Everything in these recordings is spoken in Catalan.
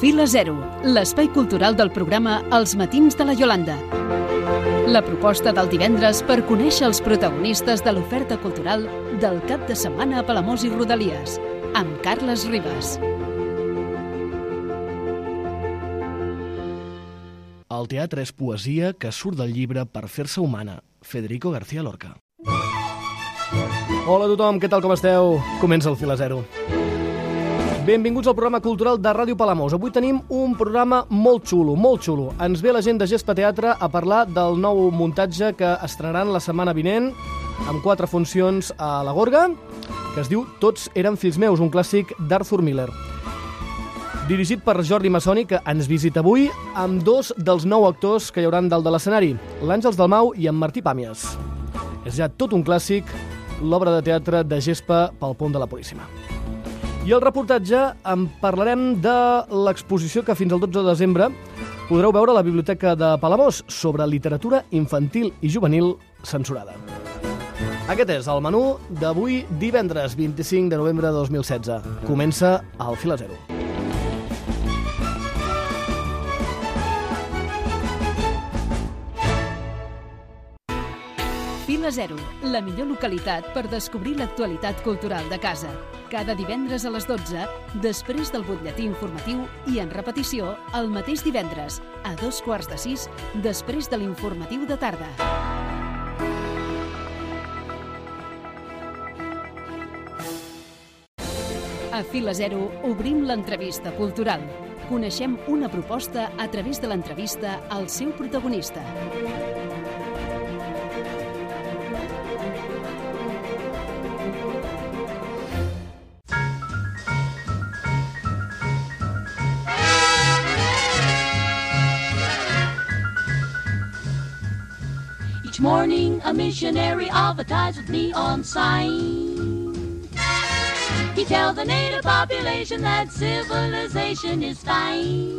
Fila Zero, l'espai cultural del programa Els matins de la Iolanda. La proposta del divendres per conèixer els protagonistes de l'oferta cultural del cap de setmana a Palamós i Rodalies, amb Carles Ribas. El teatre és poesia que surt del llibre per fer-se humana. Federico García Lorca. Hola a tothom, què tal, com esteu? Comença el Fila Zero. Benvinguts al programa cultural de Ràdio Palamós. Avui tenim un programa molt xulo, molt xulo. Ens ve la gent de Gespa Teatre a parlar del nou muntatge que estrenaran la setmana vinent amb 4 funcions a la Gorga, que es diu Tots eren fills meus, un clàssic d'Arthur Miller. Dirigit per Jordi Massoni, que ens visita avui amb 2 dels 9 actors que hi hauran dalt de l'escenari, l'Àngels Dalmau i en Martí Pàmies. És ja tot un clàssic, l'obra de teatre de Gespa pel Pont de la Puríssima. I al reportatge en parlarem de l'exposició que fins al 12 de desembre podreu veure a la Biblioteca de Palamós sobre literatura infantil i juvenil censurada. Aquest és el menú d'avui, divendres 25 de novembre de 2016. Comença el Fila Zero. Fila Zero, la millor localitat per descobrir l'actualitat cultural de casa. Cada divendres a les 12, després del butlletí informatiu i en repetició el mateix divendres, a 5:45, després de l'informatiu de tarda. A Fila Zero obrim l'entrevista cultural. Coneixem una proposta a través de l'entrevista al seu protagonista. Each morning a missionary advertised with neon sign. He tells the native population that civilization is fine.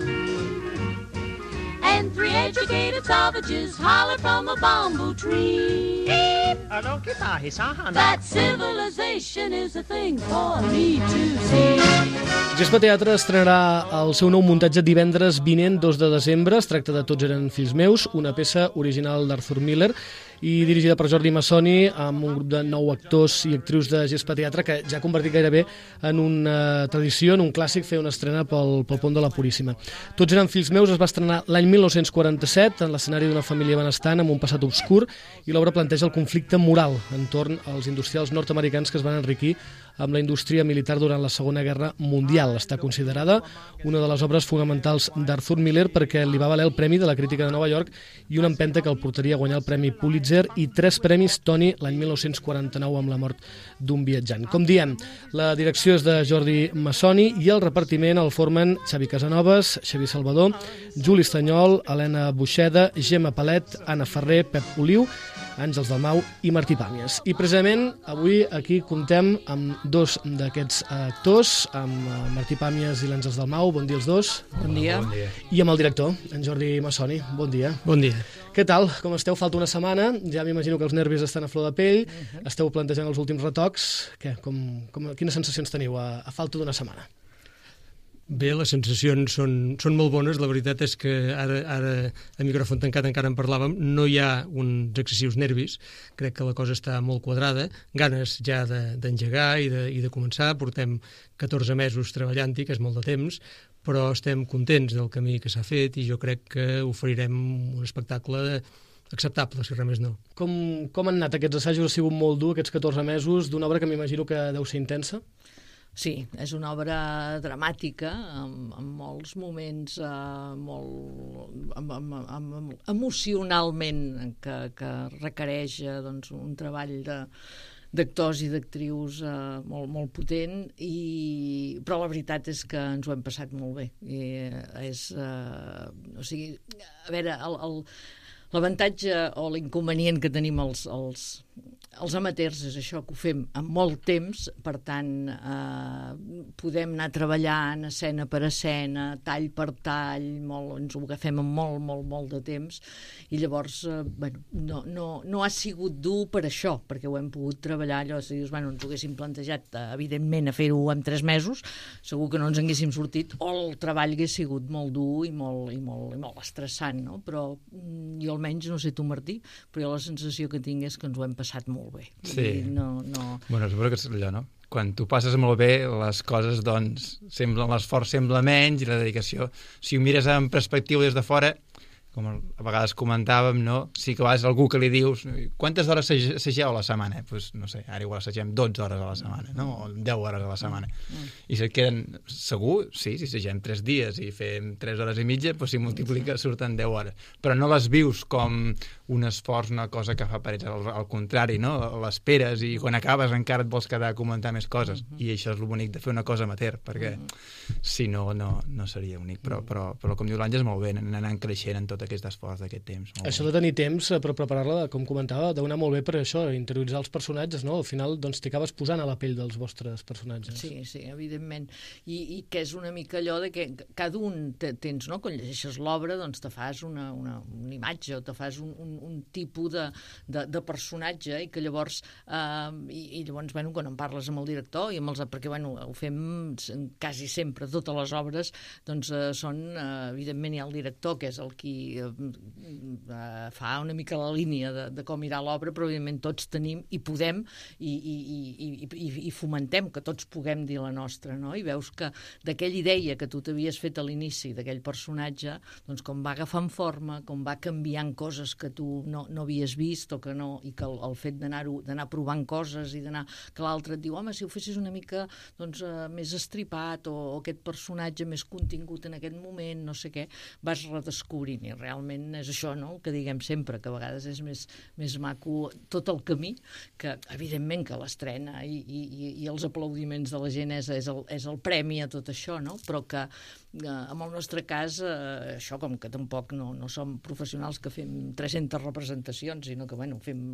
And 3 educated savages holler from a bamboo tree that civilization is a thing for me to see. Gespa Teatre estrenarà el seu nou muntatge divendres vinent, 2 de desembre. Es tracta de Tots eren fills meus, una peça original d'Arthur Miller i dirigida per Jordi Massoni, amb un grup de 9 actors i actrius de Gespa Teatre que ja ha convertit gairebé en una tradició, en un clàssic, fer una estrena pel Pont de la Puríssima. Tots eren fills meus es va estrenar l'any 1947 en l'escenari d'una família benestant amb un passat obscur, i l'obra planteja el conflicte moral entorn als industrials nord-americans que es van enriquir amb la indústria militar durant la Segona Guerra Mundial. Està considerada una de les obres fonamentals d'Arthur Miller perquè li va valer el Premi de la Crítica de Nova York i una empenta que el portaria a guanyar el Premi Pulitzer i 3 premis Tony l'any 1949 amb la mort d'un viatjant. Com diem, la direcció és de Jordi Massoni i el repartiment el formen Xavi Casanovas, Xavi Salvador, Juli Estanyol, Helena Buixeda, Gemma Palet, Anna Ferrer, Pep Oliu, Àngels Dalmau i Martí Pàmies. I precisament avui aquí comptem amb 2 d'aquests actors, amb Martí Pàmies i l'Àngels Dalmau. Bon dia els 2. Bon dia. I amb el director, en Jordi Massoni. Bon dia. Bon dia. Què tal? Com esteu? Falta una setmana. Ja m'imagino que els nervis estan a flor de pell. Esteu plantejant els últims retocs. Quines sensacions teniu a falta d'una setmana? Bé, les sensacions són molt bones. La veritat és que ara a micròfon tancat encara en parlàvem, no hi ha uns excessius nervis. Crec que la cosa està molt quadrada, ganes ja d'engegar i de començar. Portem 14 mesos treballant-hi, que és molt de temps, però estem contents del camí que s'ha fet i jo crec que oferirem un espectacle acceptable, si res més no. Com han anat aquests assajos? Ha sigut molt dur, aquests 14 mesos, d'una obra que m'imagino que deu ser intensa? Sí, és una obra dramàtica, amb molts moments emocionalment que requereix un treball d'actors i d'actrius molt potent, però la veritat és que ens ho hem passat molt bé. A veure, l'avantatge o l'inconvenient que tenim els els amateurs és això, que ho fem amb molt temps, per tant podem anar treballant escena per escena, tall per tall, ens ho agafem amb molt de temps, i llavors no ha sigut dur per això, perquè ho hem pogut treballar, allò, si dius, ens ho haguéssim plantejat evidentment a fer-ho en 3 mesos, segur que no ens haguéssim sortit, o el treball hagués sigut molt dur i molt estressant, no? Però jo almenys, no sé tu, Martí, però jo la sensació que tinc és que ens ho hem passat molt bé. Sí. No. Bueno, suposo que és allò, no? Quan tu passes molt bé, les coses, doncs, l'esforç sembla menys i la dedicació. Si ho mires en perspectiva des de fora, com a vegades comentàvem, no? Sí que a vegades algú que li dius quantes hores assageu a la setmana? Pues, no sé, ara igual assagem 12 hores a la setmana, no? O 10 hores a la setmana. I se't queden, segur, sí, si assagem 3 dies i fem 3 hores i mitja, pues si multiplica surten 10 hores. Però no les vius com un esforç, una cosa que fa parets, al contrari, no? L'esperes i quan acabes encara et vols quedar a comentar més coses. I això és el bonic de fer una cosa amateur, perquè si no seria únic. Però com diu l'Àngels, molt bé, anant creixent en tot aquest esforç d'aquest temps. Això de tenir temps per preparar-la, com comentava, deu anar molt bé per això, interioritzar els personatges, no? Al final doncs, t'hi acabes posant a la pell dels vostres personatges. Sí, evidentment. I que és una mica allò de que cada un tens, no? Quan llegeixes l'obra, doncs te fas una imatge o te fas un tipus de personatge i que llavors quan en parles amb el director i amb perquè ho fem quasi sempre, totes les obres doncs són, evidentment hi ha el director que és el qui fa una mica la línia de com irà l'obra, però evidentment tots tenim i podem i fomentem que tots puguem dir la nostra, no? I veus que d'aquella idea que tu t'havies fet a l'inici d'aquell personatge, doncs com va agafant forma, com va canviant coses que tu no havies vist o que no, i que el fet d'anar provant coses i d'anar, que l'altre et diu, home, si ho fessis una mica doncs, més estripat o aquest personatge més contingut en aquest moment, no sé què, vas redescobrint i realment és això, no? El que diguem sempre, que a vegades és més maco tot el camí, que evidentment que l'estrena i els aplaudiments de la gent és el premi a tot això, no? Però que en el nostre cas, això com que tampoc no som professionals que fem 300 representacions, sinó que fem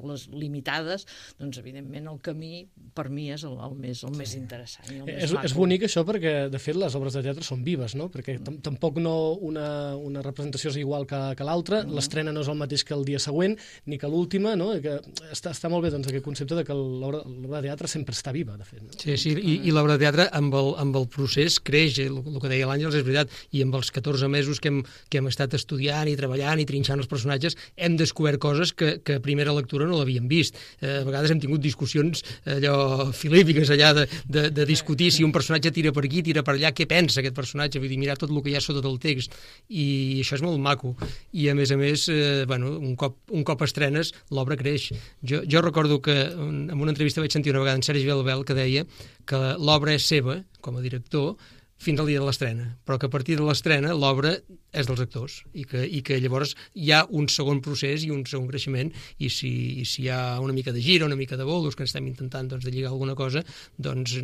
les limitades, doncs evidentment el camí per mi és el més interessant i el més maco. És bonic això perquè de fet les obres de teatre són vives, no? Perquè tampoc una representació és igual que l'altra, l'estrena no és el mateix que el dia següent ni que l'última, no? Que està molt bé doncs, aquest concepte de que l'obra de teatre sempre està viva, de fet. No? Sí, i l'obra de teatre amb el procés creix, el que deia l'Àngels és veritat, i amb els 14 mesos que hem estat estudiant i treballant i trinxant els personatges hem descobert coses que a primera lectura no l'havíem vist. A vegades hem tingut discussions allò filípiques allà de discutir si un personatge tira per aquí, tira per allà, què pensa aquest personatge, vull dir, mirar tot el que hi ha sota del text, i això és molt maco. I a més, un cop estrenes, l'obra creix. Jo recordo que en una entrevista vaig sentir una vegada en Sergi Belbel que deia que l'obra és seva, com a director, fins al dia de l'estrena, però que a partir de l'estrena l'obra és dels actors i que llavors hi ha un segon procés i un segon creixement, i si hi ha una mica de gira, una mica de bolos, que estem intentant de lligar alguna cosa, doncs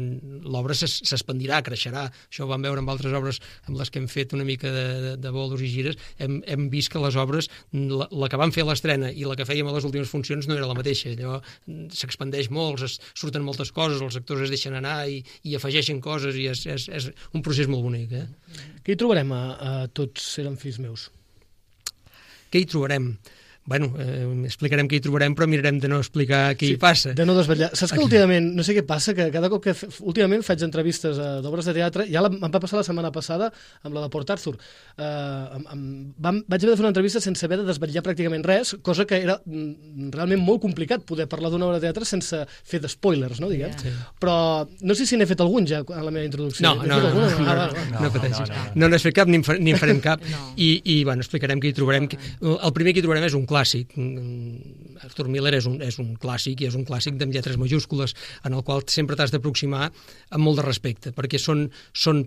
l'obra s'expandirà, creixerà. Això ho vam veure amb altres obres amb les que hem fet una mica de bolos i gires, hem vist que les obres, la que vam fer a l'estrena i la que fèiem a les últimes funcions no era la mateixa, allò s'expandeix molt, surten moltes coses, els actors es deixen anar i afegeixen coses, i és un procés molt bonic. Què hi trobarem a Tots eren fills meus? Què hi trobarem? Explicarem què hi trobarem, però mirarem de no explicar què hi passa. De no desvetllar. Saps que últimament, no sé què passa, que cada cop que últimament faig entrevistes d'obres de teatre, ja em va passar la setmana passada amb la de Port Arthur. Vaig haver de fer una entrevista sense haver de desvetllar pràcticament res, cosa que era realment molt complicat poder parlar d'una obra de teatre sense fer d'espoilers, no, diguem. Sí. Però no sé si n'he fet algun ja en la meva introducció. No pateixis. No n'has fet cap ni en farem cap. I explicarem què hi trobarem. El primer que hi trobarem és un clàssic. Arthur Miller és un clàssic, i és un clàssic amb lletres majúscules, en el qual sempre t'has d'aproximar amb molt de respecte, perquè són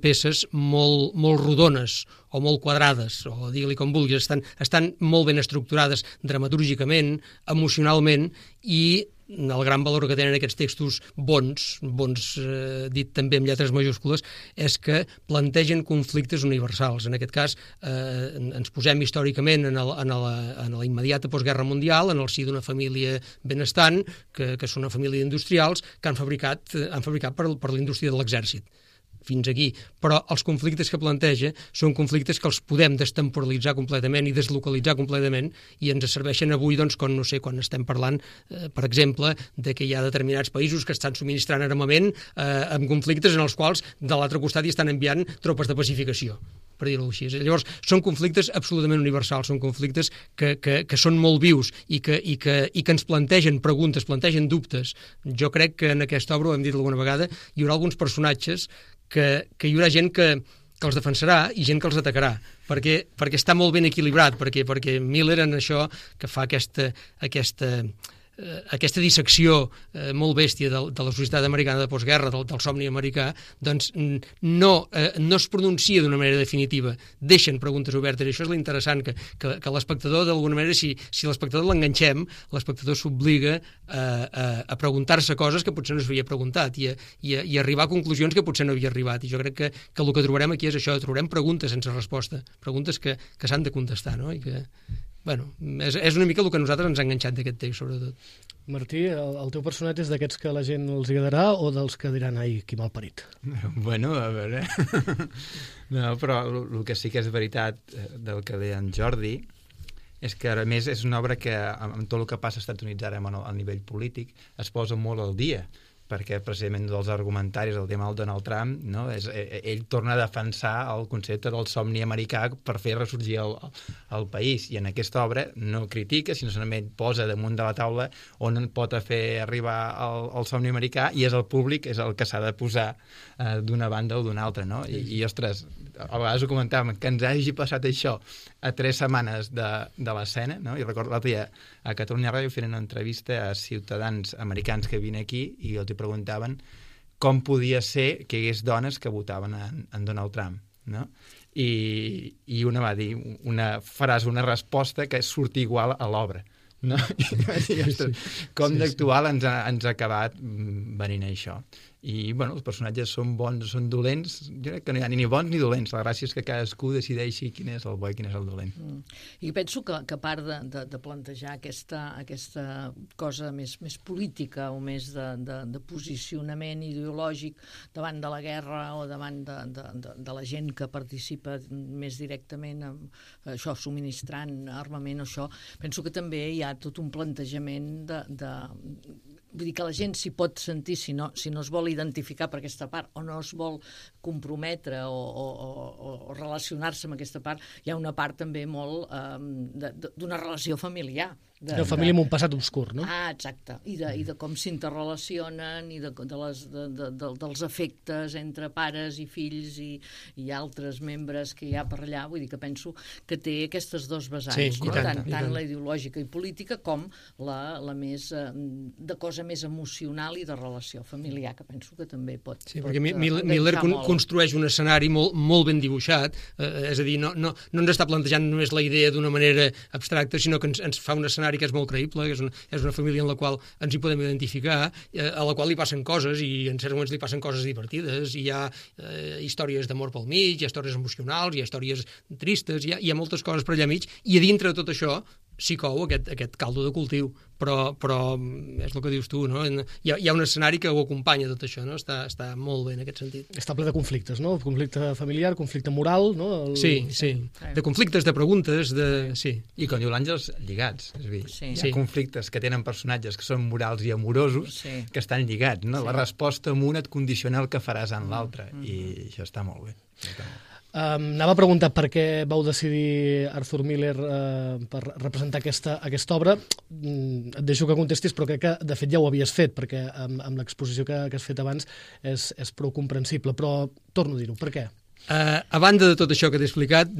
peces molt rodones o molt quadrades, o digue-li com vulguis, estan molt ben estructurades dramatúrgicament, emocionalment, i el gran valor que tenen aquests textos bons, dit també amb lletres majúscules, és que plantegen conflictes universals. En aquest cas, ens posem històricament en la immediata postguerra mundial, en el si d'una família benestant, que són una família d'industrials que han fabricat per l'indústria de l'exèrcit. Fins aquí. Però els conflictes que planteja són conflictes que els podem destemporalitzar completament i deslocalitzar completament i ens serveixen avui, doncs, quan estem parlant, per exemple, de que hi ha determinats països que estan subministrant armament amb conflictes en els quals de l'altre costat hi estan enviant tropes de pacificació, per dir-ho així. Llavors, són conflictes absolutament universals, són conflictes que són molt vius i que ens plantegen preguntes, plantegen dubtes. Jo crec que en aquesta obra, ho hem dit alguna vegada, hi haurà alguns personatges que hi haurà gent que els defensarà i gent que els atacarà, perquè està molt ben equilibrat, perquè Miller en això que fa aquesta dissecció molt bèstia de la societat americana de postguerra, del somni americà, doncs no es pronuncia d'una manera definitiva, deixen preguntes obertes, i això és l'interessant, que l'espectador, d'alguna manera, si l'espectador l'enganxem, l'espectador s'obliga a preguntar-se coses que potser no s'havia preguntat i arribar a conclusions que potser no havia arribat, i jo crec que el que trobarem aquí és això, trobarem preguntes sense resposta, preguntes que s'han de contestar, no? I que és una mica el que a nosaltres ens ha enganxat d'aquest text, sobretot. Martí, el teu personatge és d'aquests que la gent els agradarà o dels que diran, ai, qui malparit? Bueno, a veure... No, però el que sí que és veritat del que deia en Jordi és que, a més, és una obra que, amb tot el que passa als Estats Units ara a nivell polític, es posa molt al dia, perquè precisament dels argumentaris del tema del Donald Trump, no? Ell torna a defensar el concepte del somni americà per fer ressorgir el país, i en aquesta obra no critica, sinó solament posa damunt de la taula on pot fer arribar el somni americà, i és el públic és el que s'ha de posar d'una banda o d'una altra, no? I ostres, a vegades ho comentàvem, que ens hagi passat això a 3 setmanes de l'escena, no? I recordo l'altre dia a Catalunya Ràdio fent una entrevista a ciutadans americans que vinen aquí i els preguntaven com podia ser que hi hagués dones que votaven en Donald Trump, no? I una va dir una resposta que surt igual a l'obra, no? Com d'actual ens ha acabat venint això. I, bueno, els personatges són bons o són dolents, jo crec que no hi ha ni bons ni dolents, la gràcia és que cadascú decideixi quin és el bo i quin és el dolent. I penso que a part de plantejar aquesta cosa més política o més de posicionament ideològic davant de la guerra o davant de la gent que participa més directament amb això, subministrant armament o això, penso que també hi ha tot un plantejament vull dir que la gent s'hi pot sentir si no es vol identificar per aquesta part o no es vol comprometre o relacionar-se amb aquesta part. Hi ha una part també molt d'una relació familiar. De família amb un passat obscur, no? Exacte. I de com s'interrelacionen i dels efectes entre pares i fills i altres membres que hi ha per allà. Vull dir que penso que té aquestes dos vessants, sí, tant la ideològica i política com la més de cosa més emocional i de relació familiar, que penso que també pot... Sí, perquè Miller construeix un escenari molt ben dibuixat, és a dir, no ens està plantejant només la idea d'una manera abstracta, sinó que ens fa un escenari que és molt creïble, que és una família en la qual ens hi podem identificar, a la qual li passen coses, i en certs moments li passen coses divertides, i hi ha històries d'amor pel mig, hi ha històries emocionals, hi ha històries tristes, hi ha moltes coses per allà mig, i a dintre de tot això s'hi cou aquest caldo de cultiu, però és el que dius tu, no? Hi ha un escenari que ho acompanya tot això, no? Està molt bé en aquest sentit. Està ple de conflictes, no? Conflicte familiar, conflicte moral, no? Sí, de conflictes, de preguntes, sí. I com diu l'Àngels, lligats, és a dir, hi ha conflictes que tenen personatges que són morals i amorosos que estan lligats, no? La resposta en un et condiciona el que faràs en l'altre, i això està molt bé. Anava a preguntar per què vau decidir Arthur Miller per representar aquesta obra. Et deixo que contestis, però crec que de fet ja ho havies fet, perquè amb l'exposició que has fet abans és prou comprensible, però torno a dir-ho, per què? A banda de tot això que t'he explicat,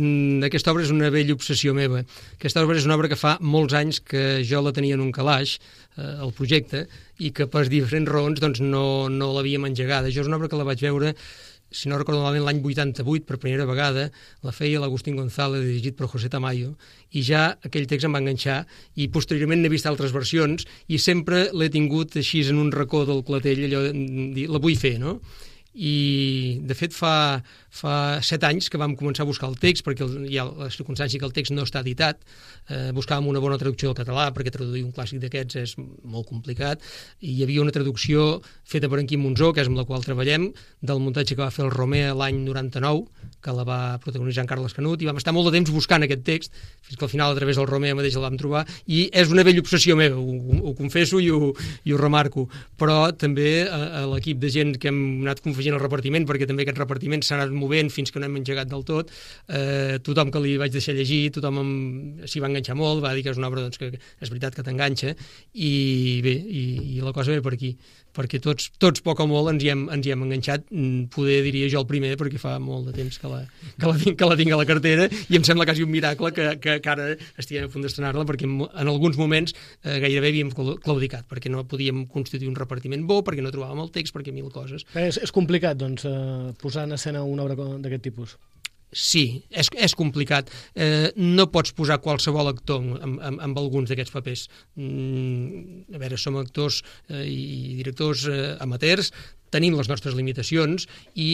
aquesta obra és una vella obsessió meva. Aquesta obra és una obra que fa molts anys que jo la tenia en un calaix, el projecte, i que per diferents raons doncs, no l'havíem engegada. Jo és una obra que la vaig veure, si no recordo malament, l'any 88, per primera vegada, la feia l'Agustín González, dirigit per José Tamayo, i ja aquell text em va enganxar, i posteriorment n'he vist altres versions, i sempre l'he tingut així en un racó del clatell, allò de dir, la vull fer, no? I de fet fa fa 7 anys que vam començar a buscar el text, perquè hi ha la circumstància que el text no està editat, buscàvem una bona traducció del català, perquè traduir un clàssic d'aquests és molt complicat, i hi havia una traducció feta per en Quim Monzó, que és amb la qual treballem, del muntatge que va fer el Romer l'any 99, que la va protagonitzar en Carles Canut, i vam estar molt de temps buscant aquest text, fins que al final a través del Romer mateix el vam trobar, i és una vella obsessió meva, ho confesso i ho remarco, però també a l'equip de gent que hem anat confegint el repartiment, perquè també aquest repartiment s'ha anat movent fins que no hem engegat del tot, tothom que li vaig deixar llegir, tothom s'hi va enganxar molt, va dir que és una obra doncs, que és veritat que t'enganxa, i bé, i la cosa ve per aquí, perquè tots poc o molt ens hi hem enganxat, poder diria jo el primer, perquè fa molt de temps que la tinc a la cartera, i em sembla quasi un miracle que ara estiguem a punt d'estrenar-la, perquè en alguns moments gairebé havíem claudicat, perquè no podíem constituir un repartiment bo, perquè no trobàvem el text, perquè mil coses. És complicat, doncs, posar en escena una obra d'aquest tipus? Sí, és complicat. No pots posar qualsevol actor amb alguns d'aquests papers. A veure, som actors i directors amateurs, tenim les nostres limitacions i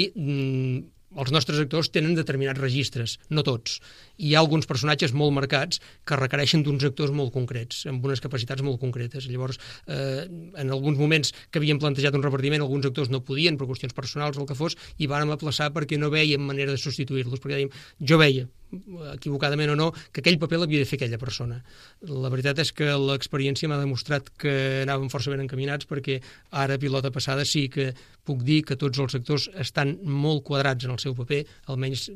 els nostres actors tenen determinats registres, no tots. Hi ha alguns personatges molt marcats que requereixen d'uns actors molt concrets, amb unes capacitats molt concretes. Llavors, en alguns moments que havíem plantejat un repartiment, alguns actors no podien, per qüestions personals o el que fos, i vàrem aplaçar perquè no vèiem manera de substituir-los, perquè dèiem, jo veia, equivocadament o no, que aquell paper l'havia de fer aquella persona. La veritat és que l'experiència m'ha demostrat que anàvem força ben encaminats, perquè ara, pilota passada, sí que puc dir que tots els actors estan molt quadrats en el seu paper, almenys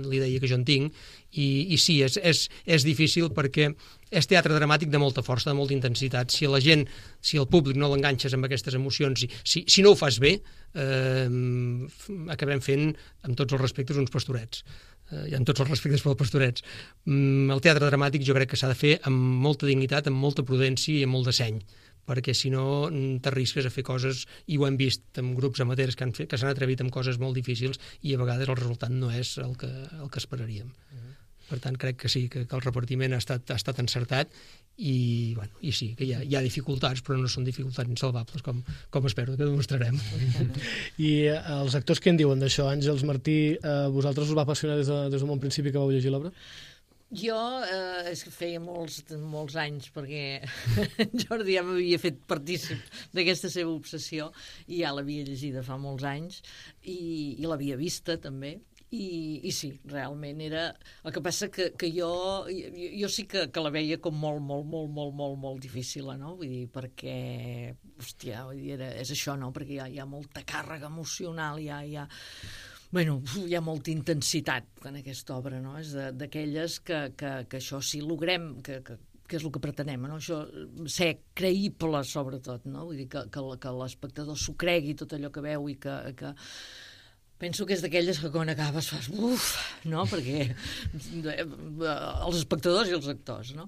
l'idea que jo en tinc, i sí, és difícil perquè és teatre dramàtic de molta força, de molta intensitat. Si el públic no l'enganxes amb aquestes emocions, si no ho fas bé, acabem fent, amb tots els respectes, uns pastorets. I amb tots els respectes pels pastorets. El teatre dramàtic jo crec que s'ha de fer amb molta dignitat, amb molta prudència i amb molt de seny, perquè si no t'arrisques a fer coses, i ho hem vist amb grups amateurs que s'han atrevit amb coses molt difícils, i a vegades el resultat no és el que esperaríem. Per tant, crec que sí, que el repartiment ha estat encertat, i sí, que hi ha dificultats, però no són dificultats insalvables, com espero que demostrarem. I els actors què en diuen d'això? Àngels Martí, vosaltres us va apassionar des d'un bon principi que vau llegir l'obra? Jo és que feia molts anys, perquè Jordi ja m'havia fet partícip d'aquesta seva obsessió, i ja l'havia llegida fa molts anys, i l'havia vista també. I sí, realment era... El que passa que jo sí que la veia com molt difícil, no? Vull dir, perquè, hòstia, és això, no? Perquè hi ha molta càrrega emocional, hi ha molta intensitat en aquesta obra, no? És d'aquelles que això, si logrem, que és el que pretenem, no? Això, ser creïble, sobretot, no? Vull dir, que l'espectador s'ho cregui tot allò que veu, i que penso que és d'aquelles que quan acabes fas uf, no? Perquè els espectadors i els actors, no?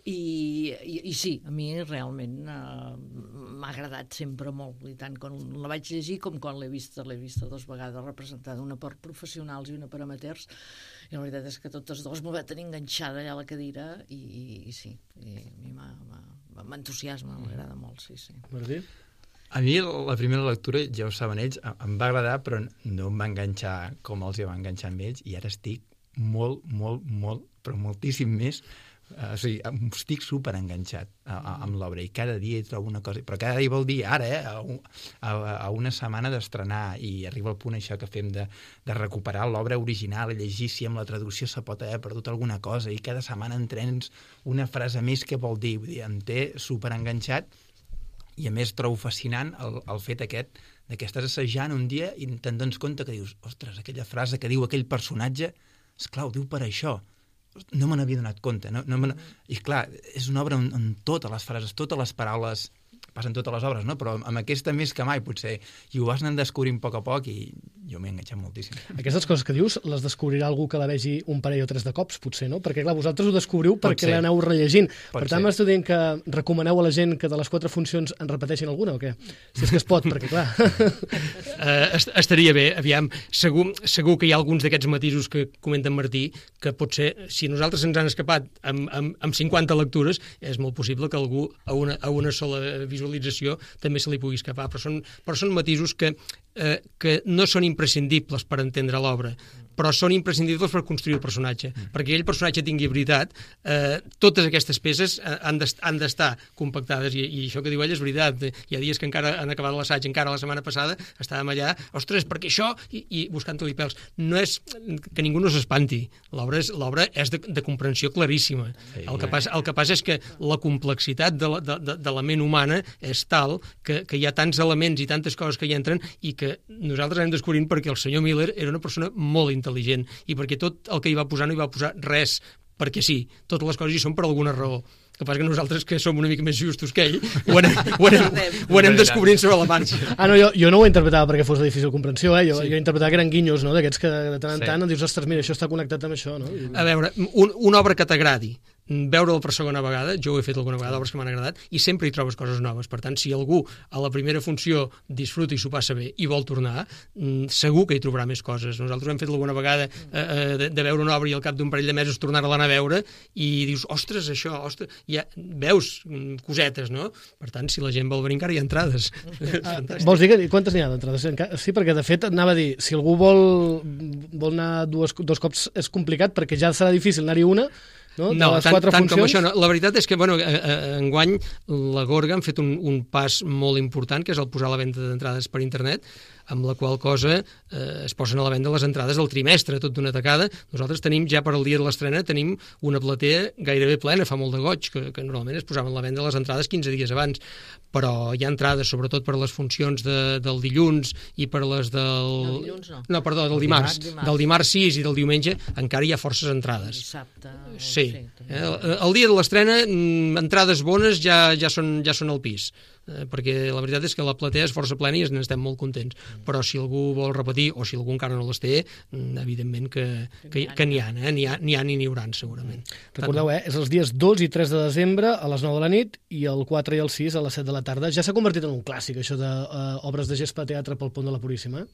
I sí, a mi realment m'ha agradat sempre molt, i tant quan la vaig llegir com quan l'he vista 2 vegades representada, una per professionals i una per amateurs, i la veritat és que totes dues m'ho va tenir enganxada allà a la cadira, i sí, i a mi m'entusiasma, m'agrada molt, sí. Martí? A mi la primera lectura, ja ho saben ells, em va agradar, però no em va enganxar com els hi va enganxar amb ells, i ara estic molt, però moltíssim més, estic superenganxat amb l'obra, i cada dia hi trobo una cosa, però cada dia vol dir ara, a una setmana d'estrenar, i arriba el punt això que fem de recuperar l'obra original, i llegir si amb la traducció se pot haver perdut alguna cosa, i cada setmana entrens una frase més que vol dir, em té superenganxat. I a més trobo fascinant el fet aquest de que estàs assajant un dia i te'n dones compte que dius, ostres, aquella frase que diu aquell personatge, esclar, ho diu per això. No me n'havia donat compte. I clar, és una obra on totes les frases, totes les paraules, passen totes les obres, no? Però amb aquesta més que mai, potser. I ho vas anar descobrint a poc, i jo m'he enganxat moltíssim. Aquestes coses que dius les descobrirà algú que la vegi un parell o 3 de cops, potser, no? Perquè, clar, vosaltres ho descobriu perquè l'aneu rellegint. Per tant, m'esteu dient que recomaneu a la gent que de les 4 funcions en repeteixin alguna, o què? Si és que es pot, perquè, clar... Estaria bé, aviam. Segur que hi ha alguns d'aquests matisos que comenta en Martí, que potser, si nosaltres ens han escapat amb 50 lectures, és molt possible que algú a una sola visualització també se li pugui escapar, però són matisos que que no són imprescindibles per entendre l'obra, però són imprescindibles per construir el personatge. Perquè aquell personatge tingui veritat, totes aquestes peces han d'estar compactades, i això que diu ell és veritat. Hi ha dies que encara han acabat l'assaig, encara la setmana passada estàvem allà, ostres, perquè això, i buscant-li pèls. No és que ningú no s'espanti, l'obra és de comprensió claríssima. El que passa és que la complexitat de la ment humana és tal que hi ha tants elements i tantes coses que hi entren, i que nosaltres anem descobrint perquè el senyor Miller era una persona molt intel·ligent, i perquè tot el que hi va posar no hi va posar res perquè sí, totes les coses hi són per alguna raó. El que passa que nosaltres, que som una mica més justos que ell, ho anem descobrint sobre la marxa. No, jo no ho interpretava perquè fos de difícil comprensió, jo interpretava que eren guinyos, no? D'aquests que de tant en tant dius, ostres, mira, això està connectat amb això, no? A veure, una obra que t'agradi, veure-la per segona vegada, jo ho he fet alguna vegada, obres que m'han agradat, i sempre hi trobes coses noves. Per tant, si algú a la primera funció disfruta i s'ho passa bé i vol tornar, segur que hi trobarà més coses. Nosaltres hem fet alguna vegada de veure una obra i al cap d'un parell de mesos tornar-la a veure i dius, ostres, això, ostres, ja veus cosetes, no? Per tant, si la gent vol venir encara hi ha entrades. Vols dir que quantes n'hi ha d'entrades? Sí, perquè de fet anava a dir, si algú vol anar dos cops és complicat perquè ja serà difícil anar-hi una. No, tant com això no. La veritat és que enguany la Gorga han fet un pas molt important, que és el posar a la venda d'entrades per internet, amb la qual cosa es posen a la venda les entrades del trimestre, tot d'una tacada. Nosaltres tenim, ja per al dia de l'estrena, tenim una platea gairebé plena, fa molt de goig, que normalment es posaven a la venda les entrades 15 dies abans, però hi ha entrades, sobretot per les funcions del dilluns i per les del... dilluns no. No, perdó, del dimarts. Del dimarts 6 i del diumenge encara hi ha forces entrades. Dissabte. Sí. El dia de l'estrena, entrades bones ja són al pis, perquè la veritat és que la platea és força plena i n'estem molt contents, però si algú vol repetir o si algú encara no les té, evidentment que n'hi ha i n'hi hauran segurament. Recordeu, és els dies 2 i 3 de desembre a les 9 de la nit i el 4 i el 6 a les 7 de la tarda. Ja s'ha convertit en un clàssic, això d'obres de gespa teatre pel Pont de la Puríssima.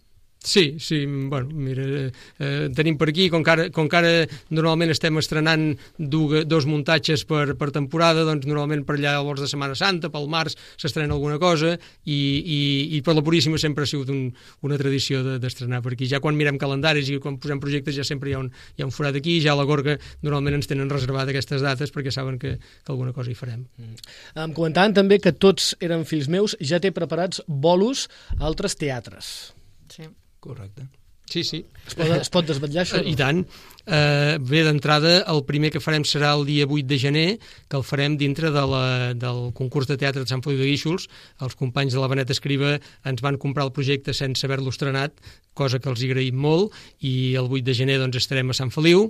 Sí, bueno, mira, tenim per aquí, com que ara normalment estem estrenant dos muntatges per temporada, doncs normalment per allà als de Setmana Santa, pel març s'estrena alguna cosa, i per la Puríssima sempre ha sigut una tradició d'estrenar per aquí. Ja quan mirem calendaris i quan posem projectes ja sempre hi ha un forat aquí, ja a la Gorga normalment ens tenen reservat aquestes dates perquè saben que alguna cosa hi farem. Em comentaven també que Tots eren fills meus ja té preparats bolos a altres teatres. Sí. Correcte. Sí. Es pot desvetllar això? I tant. Bé, d'entrada, el primer que farem serà el dia 8 de gener, que el farem dintre del concurs de teatre de Sant Feliu de Guíxols. Els companys de la Benet Escriba ens van comprar el projecte sense haver-lo estrenat, cosa que els agraïm molt, i el 8 de gener doncs, estarem a Sant Feliu.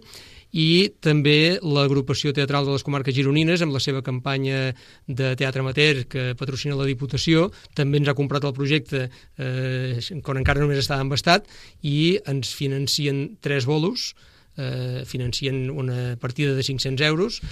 I també l'agrupació teatral de les comarques gironines, amb la seva campanya de teatre amateur que patrocina la Diputació, també ens ha comprat el projecte quan encara només estava embastat, i ens financien 3 bolos, financien una partida de 500 euros,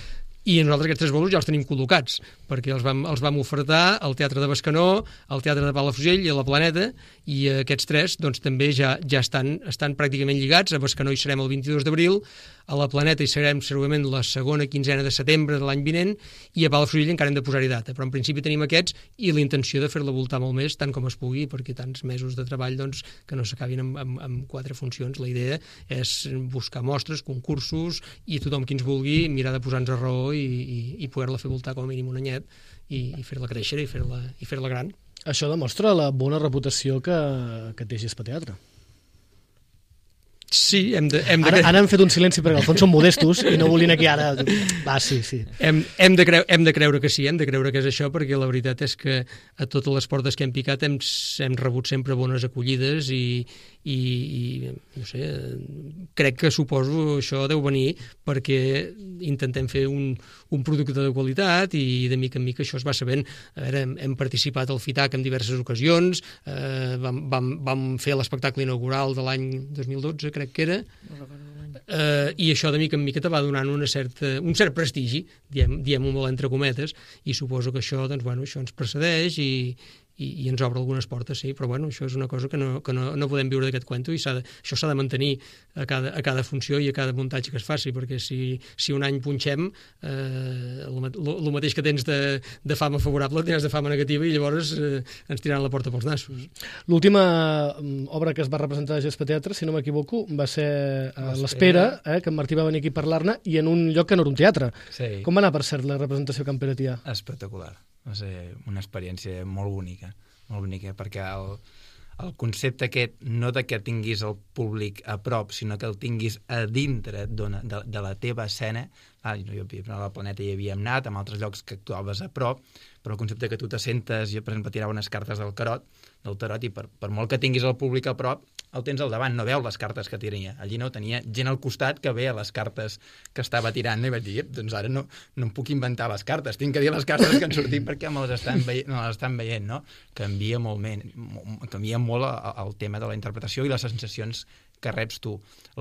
i nosaltres aquests 3 bolos ja els tenim col·locats, perquè els vam ofertar al Teatre de Bescanó, al Teatre de Palafrugell i a la Planeta, i aquests 3 doncs, també ja estan pràcticament lligats. A Bescanó hi serem el 22 d'abril, a la Planeta hi serem segurament la segona quinzena de setembre de l'any vinent, i a Palafrugell encara hem de posar-hi data, però en principi tenim aquests i la intenció de fer-la voltar molt més, tant com es pugui, perquè tants mesos de treball doncs, que no s'acabin amb 4 funcions. La idea és buscar mostres, concursos, i tothom qui ens vulgui mirar de posar-nos a raó i poder-la fer voltar com a mínim un anyet i fer-la créixer i fer-la gran. Això demostra la bona reputació que té Gespa Teatre. Sí, Ara hem fet un silenci perquè al fons són modestos i no volien aquí ara... Va, sí. Hem de creure que sí, hem de creure que és això, perquè la veritat és que a totes les portes que hem picat hem rebut sempre bones acollides i no sé, crec que suposo això deu venir perquè intentem fer un producte de qualitat i de mica en mica això es va sabent. A veure, hem participat al FITAC en diverses ocasions, vam fer l'espectacle inaugural de l'any 2012, crec que era, i això de mica en mica te va donant un cert prestigi, diem-ho molt entre cometes, i suposo que això, doncs, bueno, això ens precedeix i ens obre algunes portes, sí, però bueno, això és una cosa que no podem viure d'aquest cuento i això s'ha de mantenir a cada funció i a cada muntatge que es faci, perquè si un any punxem, el mateix que tens de fama favorable tens de fama negativa i llavors ens tiraran la porta pels nassos. L'última obra que es va representar a Gespa Teatre, si no m'equivoco, va ser L'Espera, que en Martí va venir aquí a parlar-ne, i en un lloc que no era un teatre. Sí. Com va anar, per cert, la representació a Can Peretià? Espectacular. Va ser una experiència molt bonica, perquè el concepte aquest, no de que tinguis el públic a prop, sinó que el tinguis a dintre de la teva escena. A la Planeta hi havíem anat, en altres llocs que actuaves a prop, però el concepte que tu te sentes, jo per exemple tirava unes cartes del tarot, i per molt que tinguis el públic a prop, el tens al davant, no veu les cartes que tiraria. Allí no, tenia gent al costat que veia les cartes que estava tirant, i vaig dir, doncs ara no em puc inventar les cartes, tinc que dir les cartes que han sortit perquè me les estan veient, no? Canvia molt el tema de la interpretació i les sensacions que reps tu.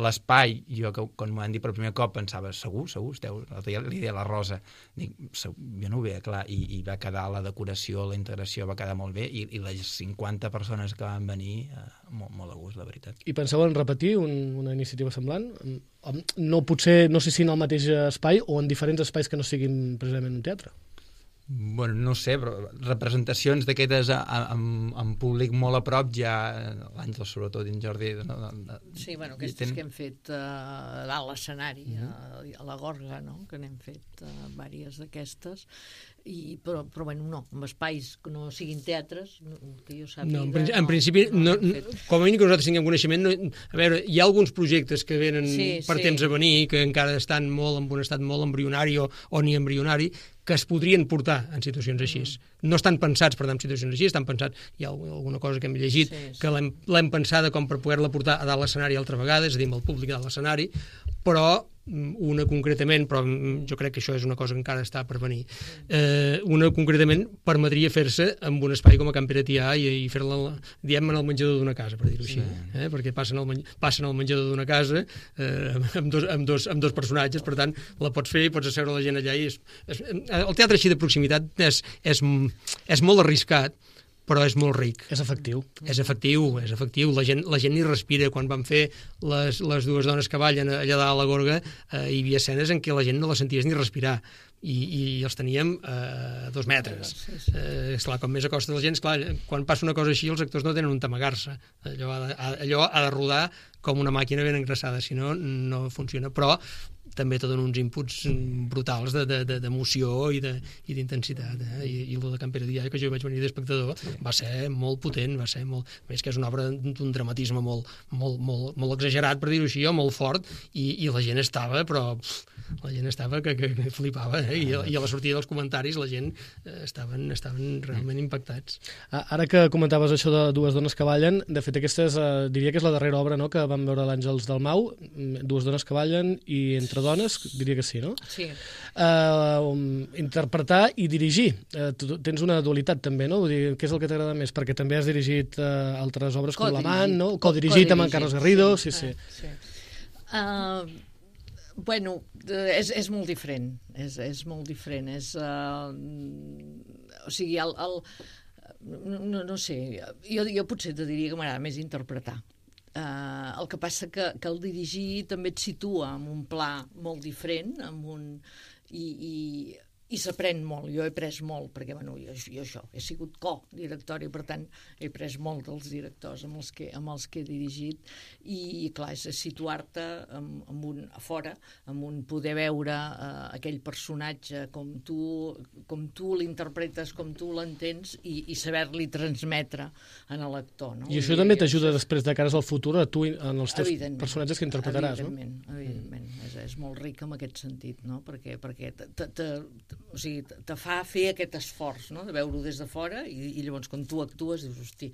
L'espai, jo que quan m'ho han dit per primer cop pensava, segur, esteu, li deia la Rosa, dic, jo no ho veia clar, i va quedar la decoració, la integració va quedar molt bé, i les 50 persones que van venir, molt a gust, la veritat. I penseu en repetir una iniciativa semblant? No potser, no sé si en el mateix espai o en diferents espais que no siguin precisament un teatre? Bueno, no sé, però representacions d'aquestes amb públic molt a prop ja, l'Àngel sobretot i en Jordi... Sí, bueno, aquestes que hem fet a dalt l'escenari, a la Gorga, no?, que n'hem fet diverses d'aquestes, però bueno, no, amb espais que no siguin teatres, que jo sàpiga... No, en principi, com a mínim que nosaltres tinguem coneixement, a veure, hi ha alguns projectes que venen per temps a venir, que encara estan molt en un estat molt embrionari o ni embrionari, que es podrien portar en situacions així. No estan pensats per anar en situacions així, estan pensats, hi ha alguna cosa que hem llegit, que l'hem pensada com per poder-la portar a dalt l'escenari altra vegada, és a dir, amb el públic a dalt l'escenari, però una concretament, però jo crec que això és una cosa que encara està per venir, una concretament permetria fer-se amb un espai com a Can Peretià i fer-la, diem, en el menjador d'una casa, per dir-ho així, perquè passen al menjador d'una casa amb dos personatges, per tant, la pots fer i pots asseure la gent allà. El teatre així de proximitat és molt arriscat, però és molt ric. És efectiu. És efectiu. La gent hi respira. Quan van fer les dues dones que ballen allà dalt a la Gorga, hi havia escenes en què la gent no la senties ni respirar. I els teníem a 2 metres. Esclar, com més acosta la gent, esclar, quan passa una cosa així, els actors no tenen on amagar-se. Allò ha de rodar com una màquina ben engraçada, si no, no funciona. Però també te dona uns inputs brutals d'emoció i d'intensitat. I el de Can Peretià, que jo vaig venir d'espectador, va ser molt potent, va ser molt... Més que és una obra d'un dramatisme molt exagerat, per dir-ho així, o molt fort, i la gent estava, però... La gent estava que flipava, i a la sortida dels comentaris la gent estaven realment impactats. Ara que comentaves això de dues dones que ballen, de fet aquesta diria que és la darrera obra, no?, que vam veure l'Àngels Dalmau, dues dones que ballen i entre dones, diria que sí, no? Sí. Interpretar i dirigir. Tu tens una dualitat també, no? Vull dir, què és el que t'agrada més? Perquè també has dirigit altres obres com L'Amant, no? Codirigit amb en Carlos Garrido, sí. Bueno, és molt diferent, és molt diferent, o sigui, no sé, jo potser te diria que m'agrada més interpretar. El que passa que el dirigir també et situa en un pla molt diferent, i s'aprèn molt. Jo he après molt, perquè bueno, jo això, he sigut co-directora i per tant he après molt dels directors amb els que he dirigit, i clar, és situar-te a fora, amb un poder veure aquell personatge com tu l'interpretes, com tu l'entens, i saber-li transmetre en l'actor, no? I això també t'ajuda després de cares al futur a tu en els teus personatges que interpretaràs, no? Evidentment, és molt ric en aquest sentit, no? Perquè o sigui, te fa fer aquest esforç, no?, de veure-ho des de fora, i llavors quan tu actues dius, hosti,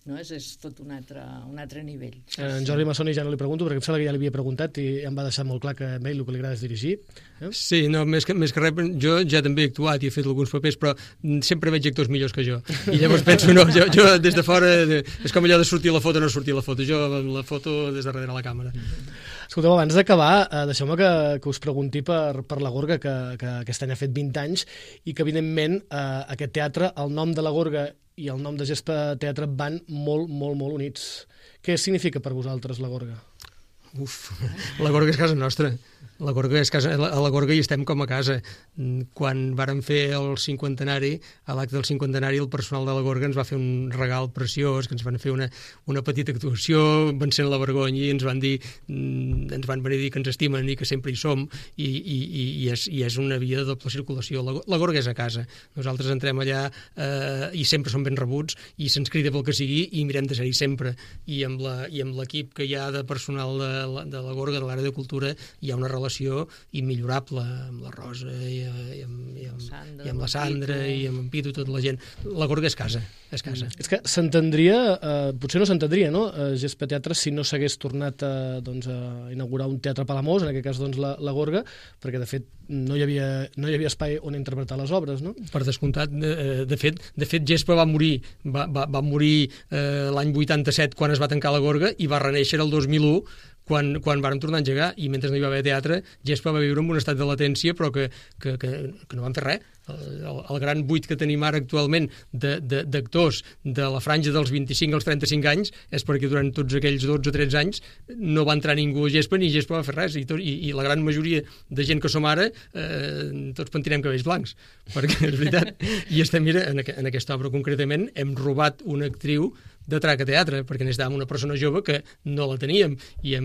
no? És tot un altre nivell. En Jordi Massoni ja no li pregunto, perquè em sembla que ja li havia preguntat i em va deixar molt clar que a ell el que li agrada és dirigir. Sí, no, més que res, jo ja també he actuat i he fet alguns papers, però sempre veig actors millors que jo. I llavors penso, no, jo des de fora, és com allò de sortir la foto o no sortir la foto. Jo la foto des de darrere la càmera. Escolteu, abans d'acabar, deixeu-me que us pregunti per la Gorga, que aquest any ha fet 20 anys, i que evidentment aquest teatre, el nom de la Gorga i el nom de Gespa Teatre van molt, molt, molt units. Què significa per vosaltres la Gorga? Uf, la Gorga és casa nostra. A la Gorga hi estem com a casa. Quan vàrem fer el cinquantenari, a l'acte del cinquantenari, el personal de la Gorga ens va fer un regal preciós, que ens van fer una petita actuació, vencent la vergonya, i ens van venir a dir que ens estimen i que sempre hi som, i és una via de doble circulació. La Gorga és a casa. Nosaltres entrem allà i sempre som ben rebuts, i se'ns crida pel que sigui, i mirem de ser-hi sempre. I amb l'equip que hi ha de personal de la Gorga, de l'àrea de cultura, hi ha una relació immillorable amb la Rosa i amb la Sandra i amb en Pitu, tota la gent. La Gorga és casa, és casa. És que s'entendria, potser no s'entendria, no? Gespa Teatre, si no s'hagués tornat a inaugurar un teatre a Palamós, en aquest cas la Gorga, perquè de fet no hi havia espai on interpretar les obres, no? Per descomptat, de fet Gespa va morir l'any 87 quan es va tancar la Gorga, i va reneixer el 2001 quan vàrem tornar a engegar, i mentre no hi va haver teatre, Gespa va viure en un estat de latència, però que no van fer res. El gran buit que tenim ara actualment d'actors de la franja dels 25 als 35 anys és perquè durant tots aquells 12 o 13 anys no va entrar ningú a Gespa, ni Gespa va fer res, i la gran majoria de gent que som ara tots pentinem cabells blancs, perquè és veritat. I estem, mira, en aquesta obra concretament hem robat una actriu de trac a teatre, perquè necessitàvem una persona jove que no la teníem. Que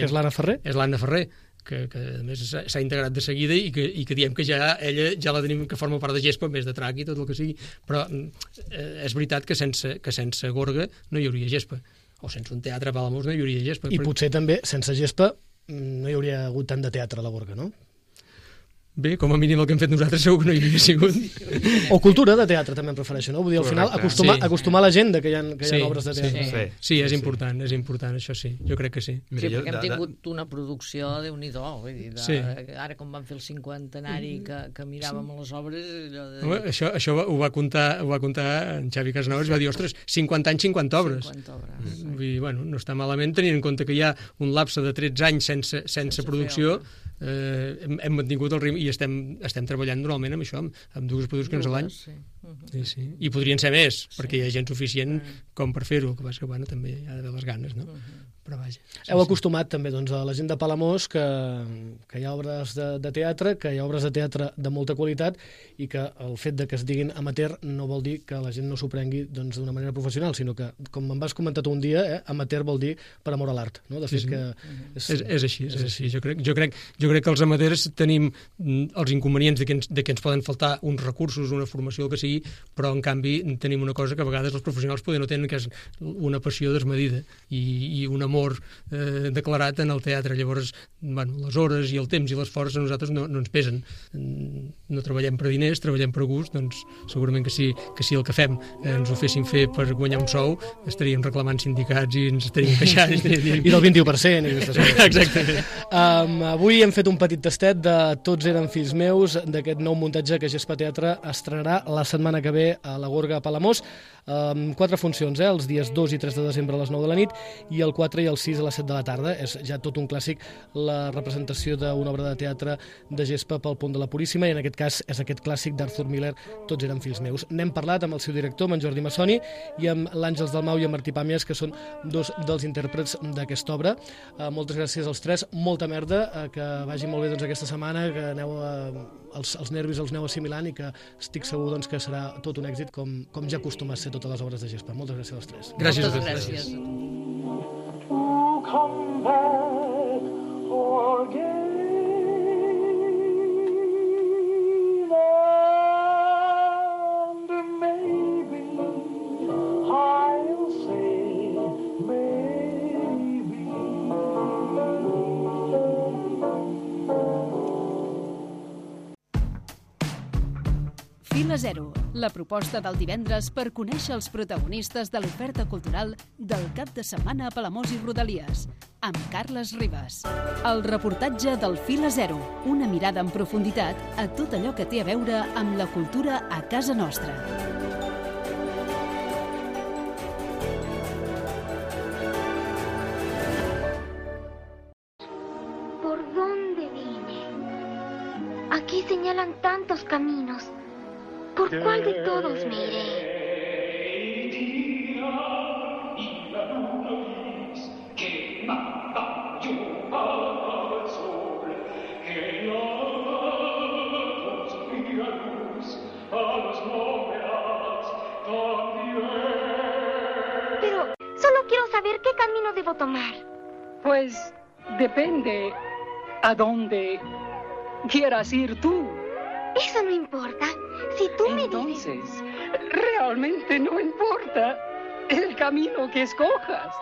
és l'Anna Ferrer? És l'Anna Ferrer, que a més s'ha integrat de seguida, i que diem que ella ja la tenim, que forma part de Gespa, més de trac i tot el que sigui. Però és veritat que sense Gorga no hi hauria Gespa, o sense un teatre a Palamós no hi hauria Gespa. I potser també sense Gespa no hi hauria hagut tant de teatre a la Gorga, no? Bé, com a mínim el que hem fet nosaltres segur que no hi havia sigut. O cultura de teatre també em prefereixo, no? Vull dir, al final acostumar la gent que hi ha obres de teatre. Sí, és important, això sí, jo crec que sí. Sí, perquè hem tingut una producció de Déu-n'hi-do, vull dir, ara com vam fer el cinquantenari que miràvem les obres... Això ho va contar en Xavi Casanovas, va dir, ostres, 50 anys, 50 obres. Vull dir, bueno, no està malament, tenint en compte que hi ha un lapse de 13 anys sense producció. Hem mantingut el ritme i estem treballant normalment amb això, amb dues produccions a l'any. Sí. I podrien ser més, perquè hi ha gent suficient com per fer-ho, que passa que bueno, també hi ha d'haver les ganes, no? Però vaja. Heu acostumat també a la gent de Palamós que hi ha obres de teatre, que hi ha obres de teatre de molta qualitat, i que el fet de que es diguin amateur no vol dir que la gent no s'ho prengui d'una manera professional, sinó que, com em vas comentar tu un dia, amateur vol dir per amor a l'art, no? De fet que... És així. Jo crec que els amateurs tenim els inconvenients de que ens poden faltar uns recursos, una formació, el que sigui, però en canvi tenim una cosa que a vegades els professionals poden no tenen, que és una passió desmedida i un amor declarat en el teatre. Llavors, bueno, les hores i el temps i l'esforç a nosaltres no ens pesen. No treballem per diners, treballem per gust, doncs segurament que si el que fem ens ho fessin fer per guanyar un sou, estaríem reclamant sindicats i ens estaríem queixant. I del 21%. Exacte. Avui hem fet un petit tastet de Tots eren fills meus, d'aquest nou muntatge que Gespa Teatre estrenarà la setmana que ve a la Gorga a Palamós. 4 funcions, els dies 2 i 3 de desembre a les 9 de la nit, i el 4 i el 6 a les 7 de la tarda. És ja tot un clàssic, la representació d'una obra de teatre de Gespa pel Pont de la Puríssima, i en aquest cas és aquest clàssic d'Arthur Miller, Tots eren fills meus. N'hem parlat amb el seu director, amb en Jordi Massoni, i amb l'Àngels Dalmau i en Martí Pàmies, que són dos dels intèrprets d'aquesta obra. Moltes gràcies als tres, molta merda, que vagi molt bé aquesta setmana, que aneu els nervis els aneu assimilant, i que estic segur que serà tot un èxit, com ja acostuma a ser totes les obres de Gespa. Moltes gràcies als tres. Gràcies. Moltes gràcies. Come back again, and maybe I'll say maybe. Fila Zero, la proposta del divendres per conèixer els protagonistes de l'oferta cultural del cap de setmana a Palamós i Rodalies, amb Carles Ribas. El reportatge del Fila Zero, una mirada en profunditat a tot allò que té a veure amb la cultura a casa nostra. ¿Por dónde vine? Aquí señalan tantos caminos. ¿Por cuál de todos me iré? debo tomar? Pues depende a dónde quieras ir tú. Eso no importa. Si tú me dices... Entonces, realmente no importa el camino que escojas.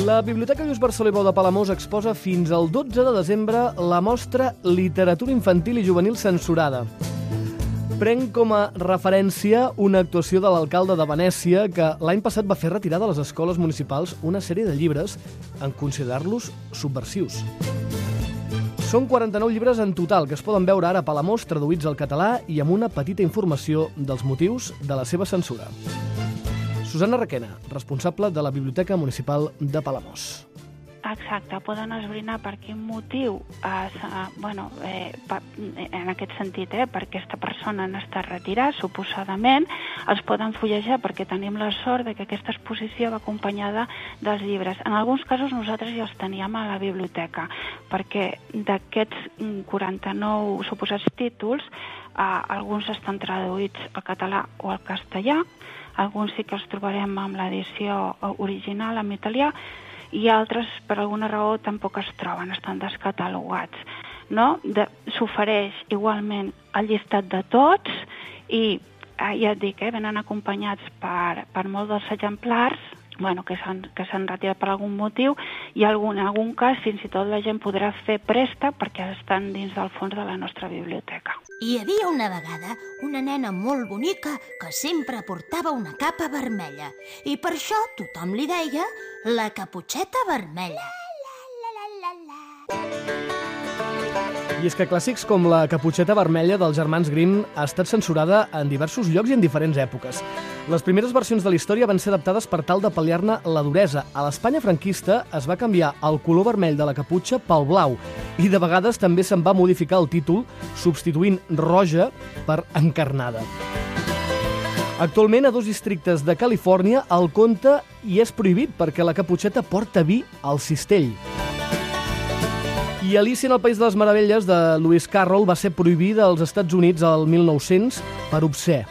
La Biblioteca Lluís Barceló i Bou de Palamós exposa fins al 12 de desembre la mostra Literatura Infantil i Juvenil Censurada. Prenc com a referència una actuació de l'alcalde de Venècia que l'any passat va fer retirar de les escoles municipals una sèrie de llibres en considerar-los subversius. Són 49 llibres en total que es poden veure ara a Palamós traduïts al català i amb una petita informació dels motius de la seva censura. Susana Requena, responsable de la Biblioteca Municipal de Palamós. Exacte, poden esbrinar per quin motiu, en aquest sentit, per aquesta persona han estat retirats, suposadament, els poden fullejar perquè tenim la sort de que aquesta exposició va acompanyada dels llibres. En alguns casos nosaltres ja els teníem a la biblioteca, perquè d'aquests 49 suposats títols, alguns estan traduïts al català o al castellà, alguns sí que els trobarem amb l'edició original en italià, i altres, per alguna raó, tampoc es troben, estan descatalogats. S'ofereix igualment el llistat de tots i, ja et dic, venen acompanyats per molts dels exemplars que s'han retirat per algun motiu i en algun cas fins i tot la gent podrà fer préstec perquè estan dins del fons de la nostra biblioteca. Hi havia una vegada una nena molt bonica que sempre portava una capa vermella i per això tothom li deia la Caputxeta Vermella. I és que clàssics com la Caputxeta Vermella dels germans Grimm ha estat censurada en diversos llocs i en diferents èpoques. Les primeres versions de la història van ser adaptades per tal de pal·liar-ne la duresa. A l'Espanya franquista es va canviar el color vermell de la caputxa pel blau i de vegades també se'n va modificar el títol substituint roja per encarnada. Actualment, a 2 districtes de Califòrnia, el conte hi és prohibit perquè la caputxeta porta vi al cistell. I Alicia en el País de les Meravelles, de Lewis Carroll, va ser prohibida als Estats Units el 1900 per obscè.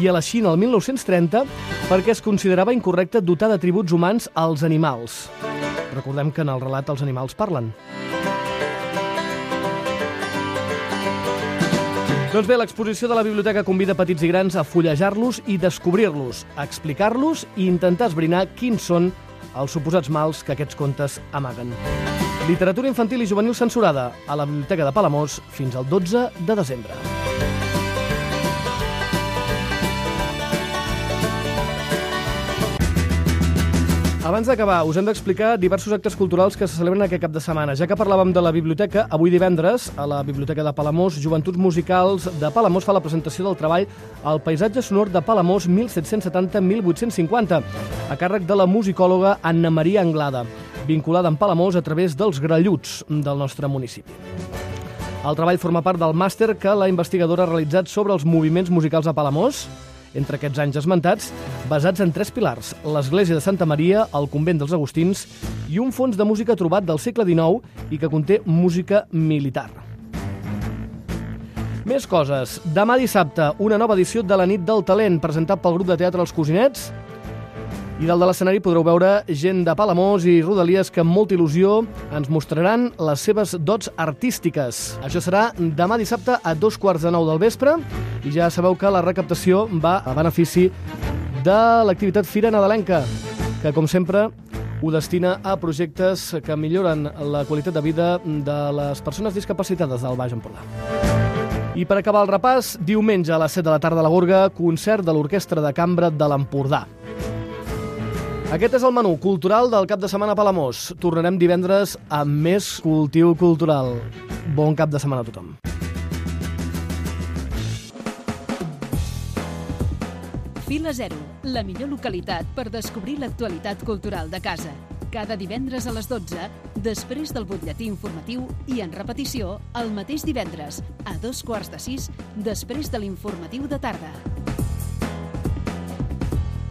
I a la Xina, el 1930, perquè es considerava incorrecte dotar d'atributs humans als animals. Recordem que en el relat els animals parlen. Doncs bé, l'exposició de la biblioteca convida petits i grans a fullejar-los i descobrir-los, a explicar-los i intentar esbrinar quins són els suposats mals que aquests contes amaguen. Literatura infantil i juvenil censurada a la Biblioteca de Palamós fins al 12 de desembre. Abans d'acabar, us hem d'explicar diversos actes culturals que se celebren aquest cap de setmana. Ja que parlàvem de la biblioteca, avui divendres, a la Biblioteca de Palamós, Joventuts Musicals de Palamós fa la presentació del treball El paisatge sonor de Palamós 1770-1850, a càrrec de la musicòloga Anna Maria Anglada, vinculada amb Palamós a través dels gralluts del nostre municipi. El treball forma part del màster que la investigadora ha realitzat sobre els moviments musicals a Palamós, entre aquests anys esmentats, basats en 3 pilars: l'església de Santa Maria, el convent dels Agustins i un fons de música trobat del segle XIX i que conté música militar. Més coses. Demà dissabte, una nova edició de la Nit del Talent, presentat pel grup de teatre Els Cosinets. I dalt de l'escenari podreu veure gent de Palamós i rodalies que amb molta il·lusió ens mostraran les seves dots artístiques. Això serà demà dissabte a 8:45 del vespre i ja sabeu que la recaptació va a benefici de l'activitat Fira Nadalenca, que com sempre ho destina a projectes que milloren la qualitat de vida de les persones discapacitades del Baix Empordà. I per acabar el repàs, diumenge a les 7 de la tarda a la Gorga, concert de l'Orquestra de Cambra de l'Empordà. Aquest és el menú cultural del cap de setmana a Palamós. Tornarem divendres amb més cultiu cultural. Bon cap de setmana a tothom. Fila Zero, la millor localitat per descobrir l'actualitat cultural de casa. Cada divendres a les 12, després del butlletí informatiu i en repetició el mateix divendres, a 5:45, després de l'informatiu de tarda.